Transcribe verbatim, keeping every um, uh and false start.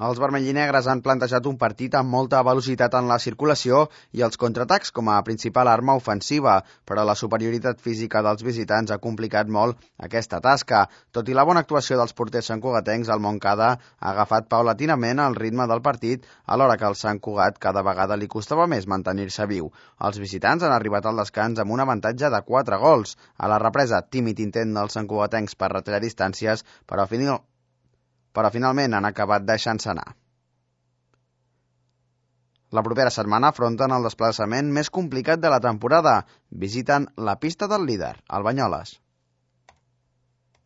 Els vermellinegres han plantejat un partit amb molta velocitat en la circulació i els contraatacs com a principal arma ofensiva, però la superioritat física dels visitants ha complicat molt aquesta tasca. Tot i la bona actuació dels porters santcugatencs, el Montcada ha agafat paulatinament el ritme del partit, alhora que al Sant Cugat cada vegada li costava més mantenir-se viu. Els visitants han arribat al descans amb un avantatge de quatre gols. A la represa, tímid intent dels santcugatencs per retallar distàncies, però final... però finalment han acabat deixant-se anar. La propera setmana afronten el desplaçament més complicat de la temporada. Visiten la pista del líder, el Banyoles.